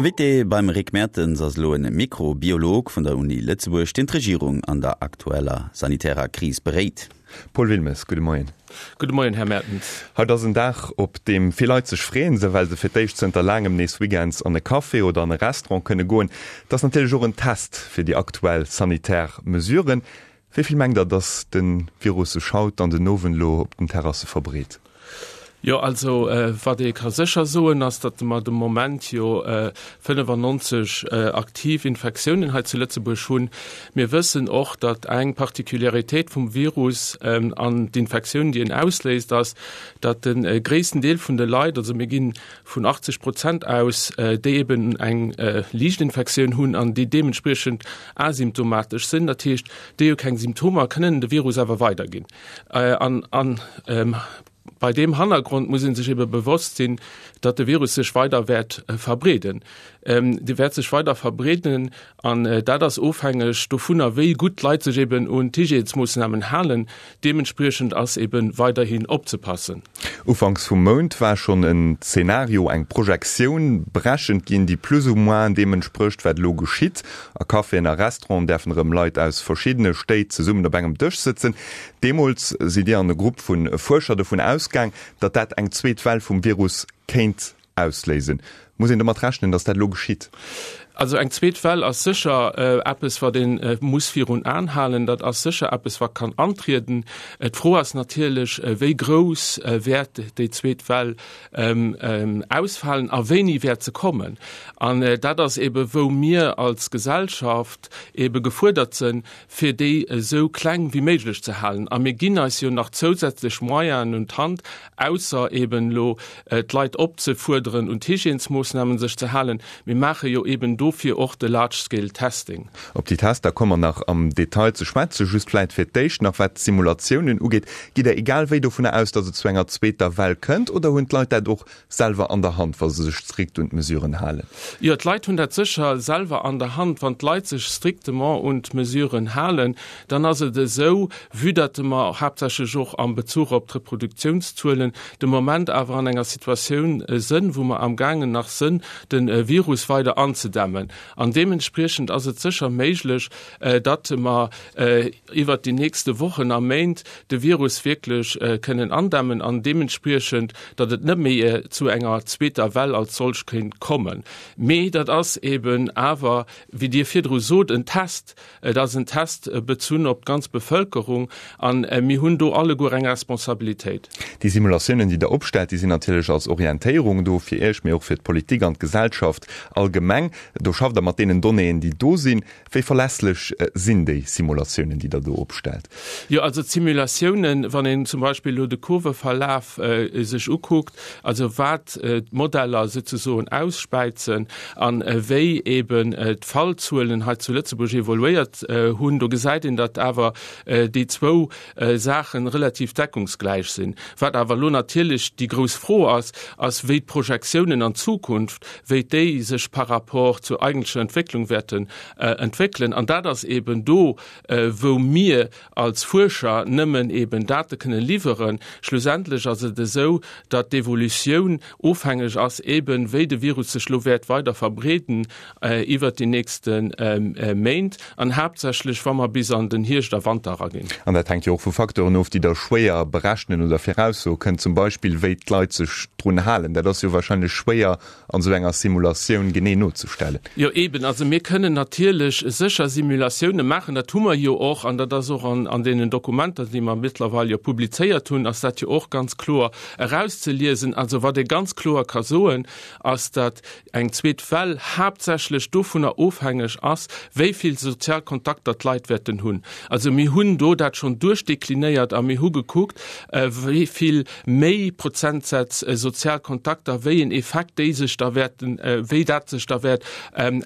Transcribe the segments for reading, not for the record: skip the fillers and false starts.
Invité beim Rick Mertens ass elo en Mikrobiolog vun der Uni Lëtzebuerg, deen d'Regierung an der aktueller sanitärer Kris beréit. Paul Wilmes, gudde Moien. Gudde Moien, Här Mertens. Haut ass en Dag, op deem vill Leit sech freeën, esou well se fir d'éischt zënter laangem nees weekends an e Café oder an e Restaurant kënne goen. Et ass natierlech och en Test fir déi aktuell sanitär Mesuren. Wéi vill mengt Der, datt de Virus sech haut an den Owend elo op den Terrasse verbreet? Jo, also wat ee ka sécher soen, ass, datt mer de Moment jo 95 aktiv Infektiounen hei zu Lëtzebuerg hunn. Mir wëssen och, datt eng Particularitéit vum Virus an d'Infektioun, déi en ausléist, ass, datt de gréissten Deel vun de Leit, also mir ginn vun 80 Prozent aus, déi eben eng liicht Infektioun hunn an déi deementspriechend asymptomatesch sinn, dat heescht, déi hu keng Symptomer, kënnen de Virus awer weiderginn. An an bei deem Hannergrond muss ee sech ebe bewosst sinn, datt de Virus sech weider wäert verbreeden. Dee wäert sech weider verbreeden an dat ass ofhängeg dovunner, wéi gutt d'Leit sech eben un d'Hygiènesmoossnamen halen. Deementspriechend ass ebe weiderhin opzepassen. Ufanks vum Mount war schonn en Zeenario, eng Projektioun berechent ginn, déi plus ou moins deem entsprécht, wat elo geschitt. A Caféen a Restauranten däerfen erëm Leit aus verschiddene Stéit zesummen op engem Dësch sëtzen. Deemools sidd Dir an e Grupp vu Fuerscher dovun ausgaang, datt dat eng zweet Well vum Virus kéint ausléisen. Muss een domat rechnen, datt dat elo geschitt? Also eng zweet Well ass sécher eppes, wat ee muss virun Aen halen. Dat ass sécher eppes, wat kann antrieden. D'Fro ass natierlech, wéi grouss wäert déi zweet Well ausfalen a wéini wäert se kommen. An dat ass ebe wou mir als Gesellschaft ebe gefuerdert sënn, fir déi esou kleng wéi méiglech ze halen. A mir ginn eis jo nach zousätzlech Moyenen un d'Hand, ausser eben elo d'Leit opzefuerderen, un d'Hygiènesmoossnamen sech ze halen. Mir maache jo eben dofir och de Large-Scale Testing. Op déi Tester komme mer nach am Detail ze schwätzen. Just vläit fir d'éischt nach, wat d'Simulatiounen ugeet, Gitt Der egal wéi dovunner aus, datt et zu enger zweeter Well kënnt, oder hunn d'Leit dat och selwer an der Hand, wa se sech strikt un d'Mesuren halen? Jo, d'Leit hunn dat sécher selwer an der Hand. Wann d'Leit sech strictement un d'Mesuren halen, dann ass et esou, vue datt mer haaptsächlech och am Bezuch op d'Reproduktiounszuelen de Moment awer an enger Situatioun sënn, wou mer amgaangen nach sënn, de Virus weider anzedämmen. An deementspriechend ass et sécher méiglech, datt mer iwwert déi nächste Wochen a Méint de Virus wierklech kënnen andämmen an deementspriechend, datt et net méi zu enger zweeter Well als solch kéint kommen. Mee dat ass eeben awer, wéi Dir virdru sot, en Test. Et ass en Test bezunn op d'ganz Bevëlkerung a mir hunn do alleguer eng Responsabilitéit. Déi Simulatiounen, déi Der opstellt, déi sinn natierlech als Orientéierung do fir Iech, mee och fir d'Politik an d'Gesellschaft allgemeng. Do schafft Der mat deenen Donnéeën, déi do sinn. Wéi verlässlech sinn déi Simulatiounen, déi Der do opstellt? Jo, also d'Simulatiounen, wann een zum Beispill elo de Kurveverlaf sech ukuckt, also wat d'Modeller souzesoen ausspäizen a wéi eeben d'Fallzuelen hei zu Lëtzebuerg evoluéiert hunn, do gesäit een, datt awer déi zwou Saache relativ deckungsgläich sinn. Wat awer elo natierlech déi grouss Fro ass, ass wéi d'Projektiounen an d'Zukunft, wéi déi sech par rapport zur eigentlecher Entwécklung wäerten entwéckelen. An dat ass eeben do, wou mir als Fuerscher nëmmen eeben Date kënnen liwweren. Schlussendlech ass et esou, datt d'Evolutioun ofhängeg ass eeben, wéi de Virus sech elo wäert weider verbreeden iwwert déi nächste Méint an haaptsächlech, wa mer bis an den Hierscht a Wanter eraginn. An dat hänkt jo och vu Facteuren of, déi Der schwéier berechnen oder viraussoe kënnt, zum Beispill wéi d'Leit sech drun halen. Dat ass jo wahrscheinlech schwéier an esou enger Simulatioun genee nozestellen. Jo eben, also mir kënnen natierlech sécher Simulatioune maachen, dat hu mer jo och, an dat ass och an deenen Dokumenter, déi mer mëttlerweil jo publizéiert hunn, ass dat jo och ganz kloer erauszeliesen. Also wat ee ganz kloer ka soen, ass, datt eng zweet Well haaptsächlech dovunner ofhängeg ass, wéi vill sozial Kontakter d'Leit wäerten hunn. Also mir hunn do dat schonn duerchdeklinéiert a mir hu gekuckt, wéi vill méi Prozentsätz sozial Kontakter, wéi en Effekt déi sech da wäerten, wéi dat sech da wäert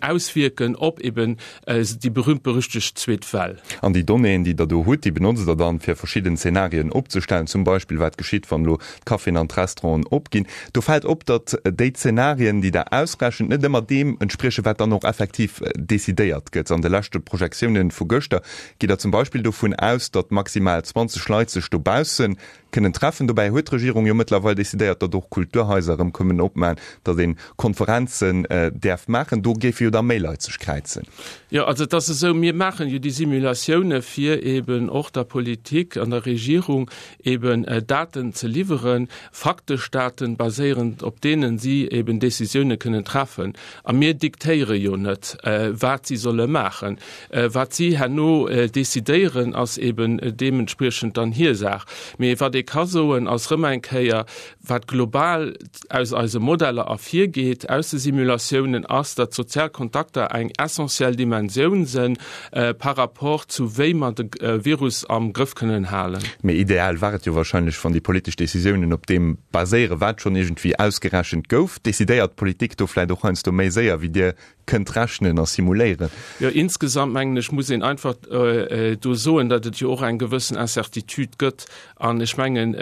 auswierken op eben déi berühmt-berüchtegt zweet Well. An déi Donnéeën, déi Der do hutt, déi benotzt Der dann, fir verschidden Zenarien opzestellen, zum Beispill wat geschitt, wann elo d'Caféen an d'Restauranten opginn. Do fält op, datt déi Zenarien, déi Der ausrechent, net ëmmer deem entspriechen, wat dann och effektiv decidéiert gëtt. An de leschte Projektiounen vu gëschter gitt Der zum Beispill dovun aus, datt maximal 20 Leit sech dobausse. Kënnen treffen. Dobäi huet d'Regierung jo mëttlerweil decidéiert, datt och Kulturhaiser erëm kënnen opmachen, datt ee Konferenzen däerf maachen. Do géife jo da méi Leit sech kräizen. Jo, also et ass esou, mir maachen jo déi Simulatioune fir eben och der Politik an der Regierung eben Daten ze liwweren, faktesch Daten, baséierend op deenen si eben Décisioune kënnen treffen. A mir diktéiere jo net, wat si solle maachen. Wat si herno decidéieren, ass eben deementspriechend dann hir Saach. Mee wat ee ka soen, ass erëm eng Kéier, wat global aus eise Modeller ervirgeet, aus de Simulatiounen, ass, datt sozial Kontakter eng essentiell Dimensioun sinn par rapport zu wéi mer de Virus am Grëff kënnen halen. Mee ideal war et jo wahrscheinlech, wann déi politesch Decisiounen op deem baséieren, wat schonn iergendwéi ausgerechent gouf. Decidéiert d'Politik do vläicht och heiansdo méi séier, wéi Dir kënnt rechnen a simuléieren? Jo, insgesamt mengen ech, muss een einfach do soen, datt et jo och eng gewëssen Incertitude gëtt. An ech mengen,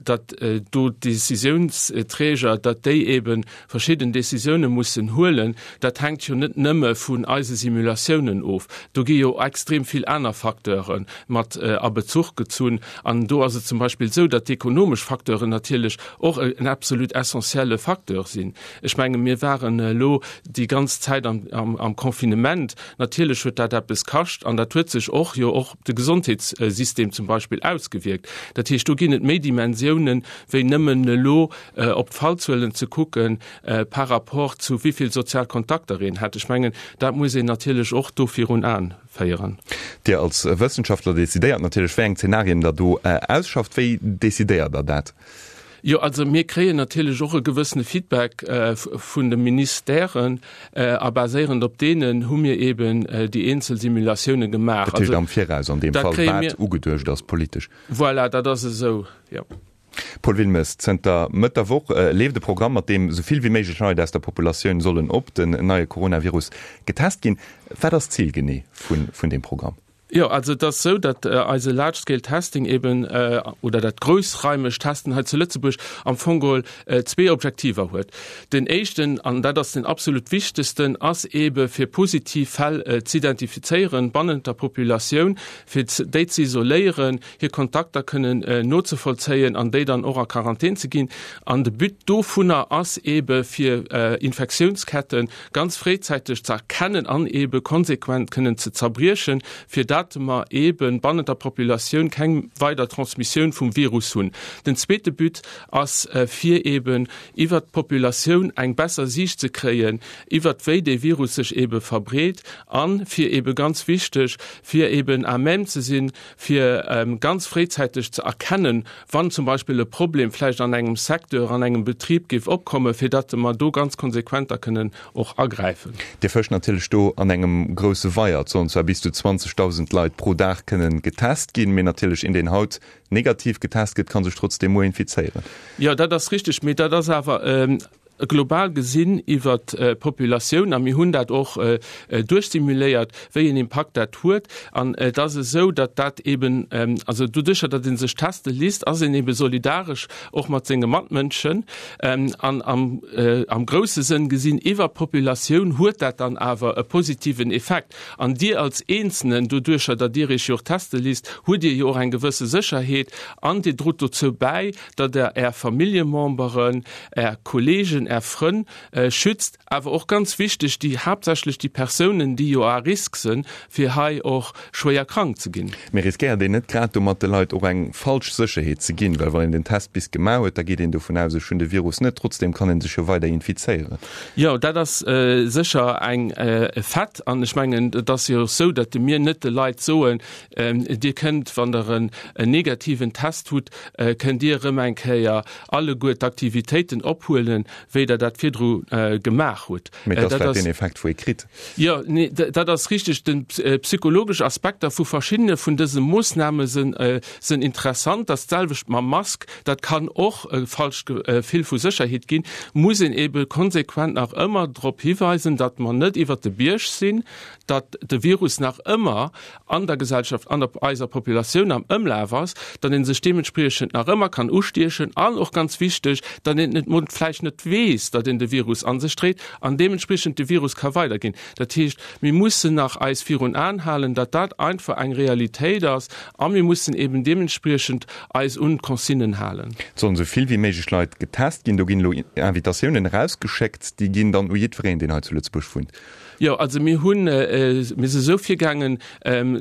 datt do d'Decisiounsträger, datt déi ebe verschidden Decisioune mussen huelen. Dat hänkt jo net nëmme vun eise Simulatiounen of. Do gi jo extrem vill aner Facteure mat a Bezuch gezunn. An do ass et zum Beispill esou, datt d'ekonomesch Facteuren natierlech och en absolut essentielle Facteur sinn. Ech menge mir waren elo déi ganz Zäit am Confinement. Natierlech huet dat eppes kascht an dat huet sech och jo och op de Gesondheetssystem zum Beispill ausgewierkt. Dat heescht, do ginn et méi Dimensiounen, wéi nëmmen elo op d'Fallzuelen ze kucke par rapport zu wéi vill sozial Kontakter een hat. Ech mengen, dat muss een natierlech och do virun Aen féieren. Dir als Wëssenschaftler decidéiert natierlech, wéi eng Zenarien Der do ausschafft. Wéi decidéiert Der dat? Jo, also mir kréien natierlech och e gewëssene Feedback vun de Ministèren a baséierend op deenen hu mir eeben déi eenzel Simulatioune gemaach. Dat heescht am Viraus an deem Fall, wat ugeduecht ass politesch? Voilà, dat ass esou, jo. Paul Wilmes, Zënter Mëtt der Woch leeft e Programm, mat deem esou vill wéi méiglech Leit aus der Populatioun sollen op den neie Coronavirus getest ginn. Wat ass d'Zil genee vun deem Programm? Jo, also et ass esou, datt eise Large Scale Testing eben, oder dat groussraimegt Testen hei zu Lëtzebuerg am Fong geholl zwee Objektiver huet. Den éischten, an dat ass den absolut wichtegsten, ass ebe fir positiv Fäll z'identifizéieren bannent der Populatioun, fir déi ze isoléieren, hir Kontakter kënnen nozevollzéien an déi dann och a Quarantän ze ginn. An de But dovunner ass ebe fir Infektiounsketten ganz fréizäiteg ze erkennen an ebe konsequent kënnen ze zerbriechen, fir dat mer ebe bannent der Populatioun keng weider Transmissioun vum Virus hunn. Den zweete But ass, fir eben iwwert d'Populatioun eng besser Siicht ze kréien iwwert wéi dee Virus sech ebe verbreet an fir ebe ganz wichteg, fir eben à même ze sinn, fir ganz fréizäiteg ze erkennen, wann zum Beispill e Problem vläicht an engem Secteur, an engem Betrib géif opkommen, fir datt mer do ganz konsequent da kënnen och agräifen. Dir fëscht natierlech do an engem grousse Weier. Et sollen zwar bis zu 20.000 Leit pro Dag kënnen getest ginn, mee natierlech een, deen haut negativ getest gëtt, ka sech trotzdeem muer infizéieren. Jo, dat ass richteg, mee dat ass awer global gesinn iwwert d'Populatioun, a mir hunn dat och duerchsimuléiert, wéi een Impakt dat huet. An et ass esou, datt dat eeben, also doduercher, datt ee sech teste lisst, ass een eebe solidaresch och mat senge Matmënschen. An am grousse Sënn gesinn iwwer d'Populatioun huet dat dann awer e positiven Effekt. An Dir als Eenzelnen, doduercher, datt Dir Iech jo och teste lisst, hutt Dir jo och eng gewësse Sécherheet an Dir drot dozou bäi, datt Der Är Familljememberen, Är Kollegen, Är Frënn schützt, awer och ganz wichteg, déi haaptsächlech déi Persounen, déi jo à risque sënn, fir hei och schwéier krank ze ginn. Mee riskéiert een net grad domat de Leit och eng falsch Sécherheet ze ginn? Well wann een den Test bis gemaach huet, da geet een dovun aus, ech hunn de Virus net, trotzdeem kann ee sech jo weider infizéieren. Jo, dat ass sécher eng e Fait. An ech mengen, et ass jo och esou, datt mir net de Leit soen, Dir kënnt, wann Der en negativen Test hutt, kënnt Dir erëm eng Kéier alleguer d'Aktivitéiten ophuelen, wéi Der dat virdru gemaach hutt. Mee et ass vläicht deen Effekt, wou ee kritt. Jo, nee, dat ass richteg. De psychologesch Aspekter vu verschiddene vun dëse Moossname sinn interessant. Dat ass d'selwecht mam Mask. Dat kann och e falscht Gefill vu Sécherheet ginn. Muss een eebe konsequent nach ëmmer drop hiweisen, datt mer net iwwert de Bierg sinn, datt de Virus nach ëmmer an der Gesellschaft, an der eiser Populatioun am Ëmlaf ass, datt ee sech deementspriechend nach ëmmer kann ustiechen an och ganz wichteg, datt een et vläicht net weess. weess, datt een de Virus a sech dréit an deementspriechend de Virus ka weiderginn. Dat heescht, mir mussen nach eis virun Aen halen, datt dat einfach eng Realitéit ass a mir mussen eben deementspriechend eis un d'Consignen halen. Et sollen esou vill wéi méiglech Leit getest ginn. Do ginn elo Invitatiounen erausgeschéckt. Déi ginn dann u jiddwereen, deen hei zu Lëtzebuerg wunnt. Jo, also mir hunn, mir si esou virgaangen,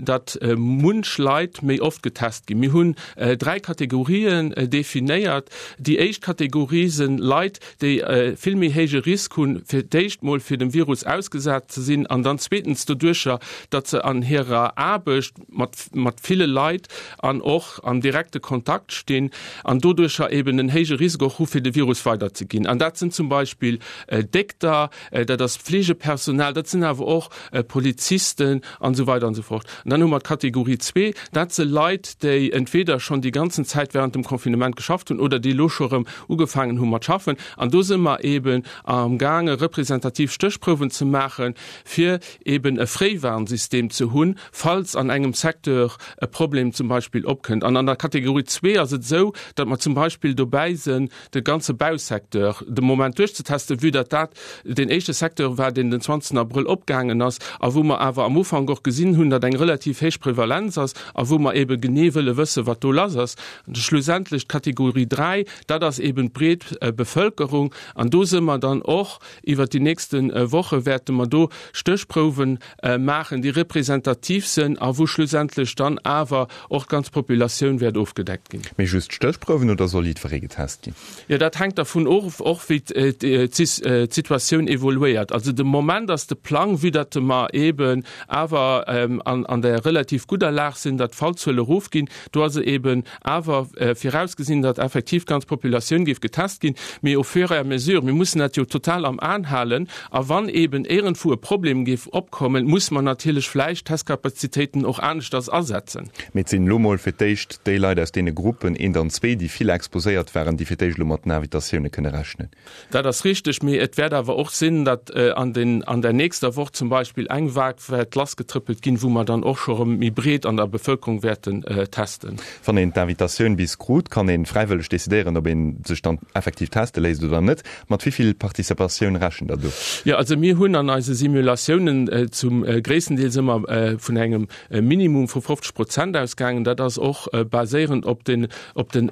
datt munch Leit méi oft getest ginn. Mir hunn 3 Kategorien definéiert. Déi éischt Kategorie sinn Leit, déi vill méi héije Risk hunn, fir d'éischt mol fir dem Virus ausgesat ze sinn an dann zweetens doduercher, datt se an hirer Aarbecht mat mat ville Leit an och am direkte Kontakt stinn an doduercher eben en héije Risk och hu fir de Virus weiderzeginn. An dat sinn zum Beispill Dékter, dat ass Pflegepersonal, dat sinn awer och Polizisten an esou weider an esou fort. An dann hu mer d'Kategorie zwee, dat si Leit, déi entweder schonn déi ganzen Zäit während dem Confinement geschafft hunn oder déi elo scho erëm ugefaangen hu mat schaffen. An do si mer eben amgaange representativ Stéchprouwen ze maachen, fir eben e Fréiwarnsystem ze hunn, falls an engem Secteur e Problem zum Beispill opkënnt. An an der Kategorie zwee ass et esou, datt mer zum Beispill dobäi sinn, de ganze Bausecteur de Moment duerchzetesten, vue datt dat deen éischte Secteur war, deen den 20 Abrëll opgaangen ass a wou mer awer am Ufank och gesinn hunn, datt eng relativ héich Prevalenz ass a wou mer eebe genee wëlle wëssen, wat do lass ass. An schlussendlech d'Kategorie 3, dat ass eeben d'breet Bevëlkerung an do si mer dann och iwwert déi nächste Woche wäerte mer do Stéchprouwen maachen, déi representativ sinn a wou schlussendlech dann awer och d'ganz Populatioun wäert ofgedeckt ginn. Mee just Stéchprouwen oder soll jiddweree getest ginn? Jo, dat hänkt dervun of, och wéi d'Situatioun evoluéiert. Also de Moment ass de Plang, vue datt mer eeben awer an der relativ gudder Lag sinn, datt d'Fallzuele erofginn, do ass eeben awer virausgesinn, datt effektiv d'ganz Populatioun géif getest ginn, mee au fur et à mesure, mir mussen dat jo total am Aen halen, a wann eeben éierendwou e Problem géif opkommen, muss mer natierlech vläicht d'Testkapazitéiten och aneschters asetzen. Mee et sinn elo mol fir d'éischt déi Leit aus deene Gruppen eent an zwee, déi vill exposéiert waren, déi fir d'éischt elo mat den Invitatioune kënne rechnen. Dat ass richteg, mee et wäert awer och sinn, datt an den, an der nächster Woch zum Beispill eng Vague wäert lassgetrëppelt ginn, wou mer dann och scho erëm méi breet an der Bevëlkerung wäerten testen. Wann een d'Invitatioun bis krut, kann ee fräiwëlleg decidéieren, ob ee sech dann effektiv teste léisst oder net. Mat wéi vill Participatioun rechent Der do? Jo, also mir hunn an eise Simulatiounen zum gréissten Deels ëmmer vun engem e Minimum vu 50 Prozent ausgaangen. Dat ass och baséierend op den, op den,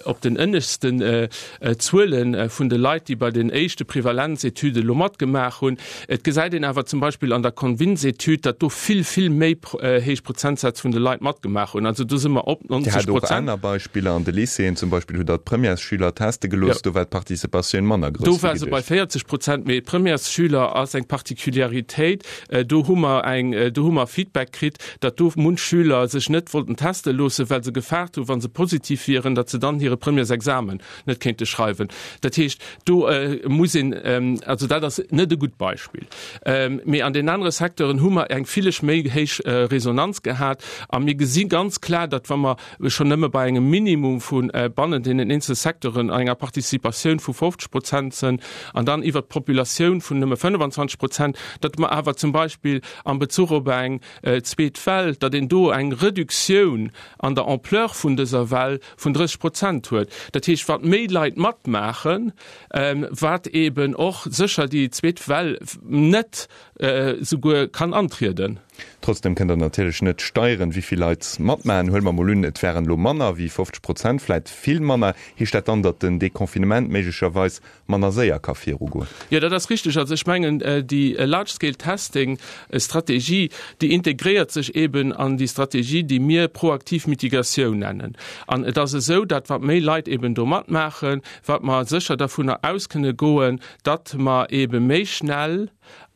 op den ënneschten Zuele vun de Leit, déi bei den éischte Prevalenzetüde elo matgemaach hunn. Et gesäit een awer zum Beispill an der Convince-Etüd, datt do vill, vill méi héich Prozentsätz vun de Leit matgemaach hunn. Also do si mer op 90 Prozent. Dir hat och aner Beispiller. An de Lycéeën zum Beispill hutt Der d'Premièresschüler teste gelooss. Do war d'Participatioun manner grouss wéi geduecht. Do war se bei 40 Prozent. Mee d'Premièresschüler ass eng Particuliaritéit. Do hu mer eng, do hu mer Feedback kritt, datt do munch Schüler sech net wollten teste loossen, well se gefaart hu wa se positiv wieren, datt se dann hire Premièresexamen net kéinte schreiwen. Dat heescht, do muss een, also dat ass net e gutt Beispill. Mee an den anere Secteuren hu mer eng villeg méi héich Resonanz gehat a mir gesi ganz klar, datt wa mer schonn nëmme bei engem Minimum vu bannent deenen eenzele Secteuren an enger Participatioun vu 50 Prozent sënn an dann iwwert d'Populatioun vun nëmme 25 Prozent, datt mer awer zum Beispill am Bezuch op eng zweet Well, datt een do eng Reduktioun an der Ampleur vun dëser Well vun 30 Prozent huet. Dat heescht, wat méi Leit matmaachen, wat eeben och sécher déi zweet Well net souguer kann antrieden. Trotzdem kënnt Der natierlech net steieren, wéi vill Leit matmaachen. Huele mer mol un, et wären elo manner wéi 50 Prozent, vläit vill manner. Heescht dat dann, datt den Deconfinement méiglecherweis manner séier ka virugoen? Jo, dat ass richteg. Also ech mengen, déi Large-Scale-Testing-Strategie, déi integréiert sech eeben an déi Strategie, déi mir proaktiv Mitigatioun nennen. An et ass esou, datt wat méi Leit eeben do matmaachen, wat mer sécher dervunner aus kënne goen, datt mer eebe méi schnell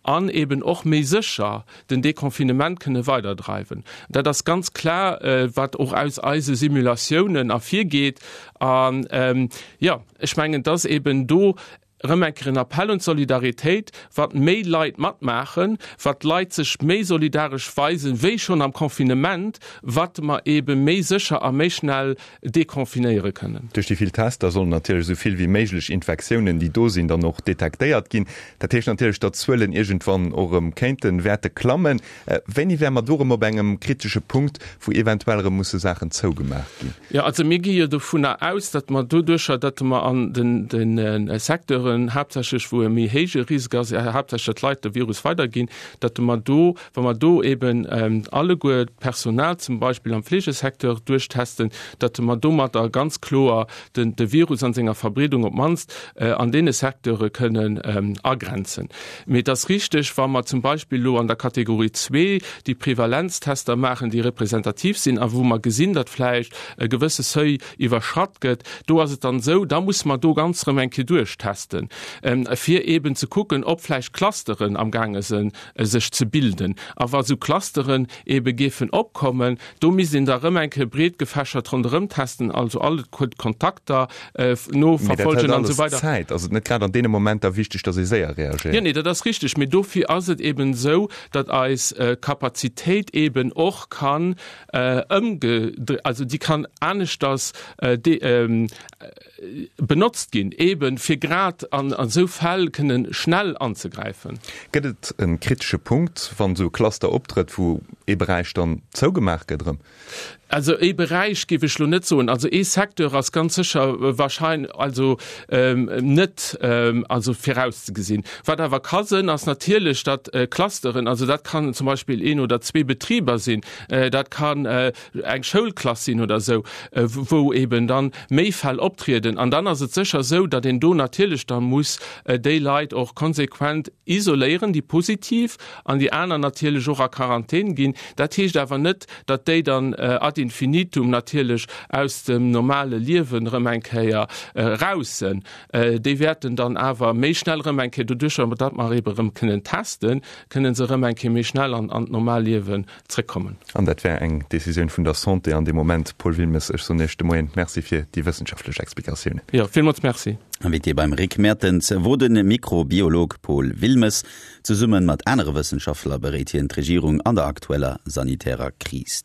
an eeben och méi sécher den Deconfinement kënne weiderdreiwen. Dat ass ganz klar, wat och aus eise Simulatiounen ervirgeet. An, jo, ech mengen, dass eeben do erëm eng Kéier en Appell un d'Solidaritéit, wat méi Leit matmaachen, wat d'Leit sech méi solidaresch weisen, wéi schonn am Confinement, wat mer eebe méi sécher a méi schnell deconfinéiere kënnen. Duerch déi vill Tester sollen natierlech esou vill wéi méiglech Infektiounen, déi do sinn, dann och detektéiert ginn. Dat heescht natierlech, datt d'Zuelen iergendwann och erëm kéinten, wäerte klammen. Wéini wäre mer do erëm op engem kritesche Punkt, wou eventuell erëm musse Saachen zougemaach ginn? Jo, also mir gi jo dovunner aus, datt mer doduercher, datt mer an den Secteuren. Secteuren haaptsächlech, wou e méi héije Risk ass, haaptsächlech datt d'Leit de Virus weiderginn, datt mer do, wa mer do eben alleguer d'Personal zum Beispill am Fleegesecteur duerchtesten, datt mer domadder ganz kloer de Virus an senger Verbreedung op d'mannst an deene Secteure kënnen agrenzen. Mee et ass richteg, wa mer zum Beispill elo an der Kategorie zwee déi Prevalenztester maachen, déi representativ sinn a wou mer gesinn, datt vläicht e gewësse Seuil iwwerschratt gëtt, do ass et dann esou, da musse mer do ganz erëm eng Kéier duerchtesten, fir eeben ze kucken, ob vläicht Clusteren amgaange sinn, sech ze bilden. A wa sou Clusteren eebe géifen opkommen, do misst een da erëm eng Kéier breetgefächert ronderëm testen, also all d'Kontakter noverfolgen an esou weider. Zäit. Ass et net grad an deene Momenter wichteg, datt ee séier reagéiert? Jo, nee, dat ass richteg. Mee dofir ass et eeben esou, datt eis Kapazitéit eeben och kann ëmgedréit, also déi kann aneschters benotzt ginn, eeben fir grad an esou Fäll kënnen schnell anzegräifen. Gëtt et e kritesche Punkt, wann esou e Cluster optrëtt, wou ee Beräich dann zougemaach gëtt erëm? Also ee Beräich géif ech elo net soen. Also ee Secteur ass ganz sécher wahrscheinlech, also net also virauszegesinn. Wat awer ka sënn, ass natierlech, datt Clusteren, also dat kann zum Beispill een oder zwee Betriber sinn, dat kann eng Schoulklass sinn oder esou, wou eben dann méi Fäll optrieden. An dann ass et sécher esou, datt een do natierlech da muss déi Leit och konsequent isoléieren, déi positiv, an déi aner natierlech och a Quarantän ginn. Dat heescht awer net, datt déi dann ad infinitum natierlech aus dem normale Liewen erëm eng Kéier eraus sënn. Déi wäerten dann awer méi schnell erëm eng Kéier, doduercher datt mer ebe erëm kënnen testen, kënnen se erëm eng Kéier méi schnell an d'normal Liewen zréckkommen. An dat wär eng Decisioun vun der Santé an deem Moment. Paul Wilmes, ech soen Iech de Moien Merci fir déi wëssenschaftlech Explikatiounen. Jo, villmools Merci. Invité beim Rick Mertens wor de Mikrobiolog Paul Wilmes. Zesumme mat anere Wëssenschaftler beréit hien d'Regierung an der aktueller sanitärer Kris.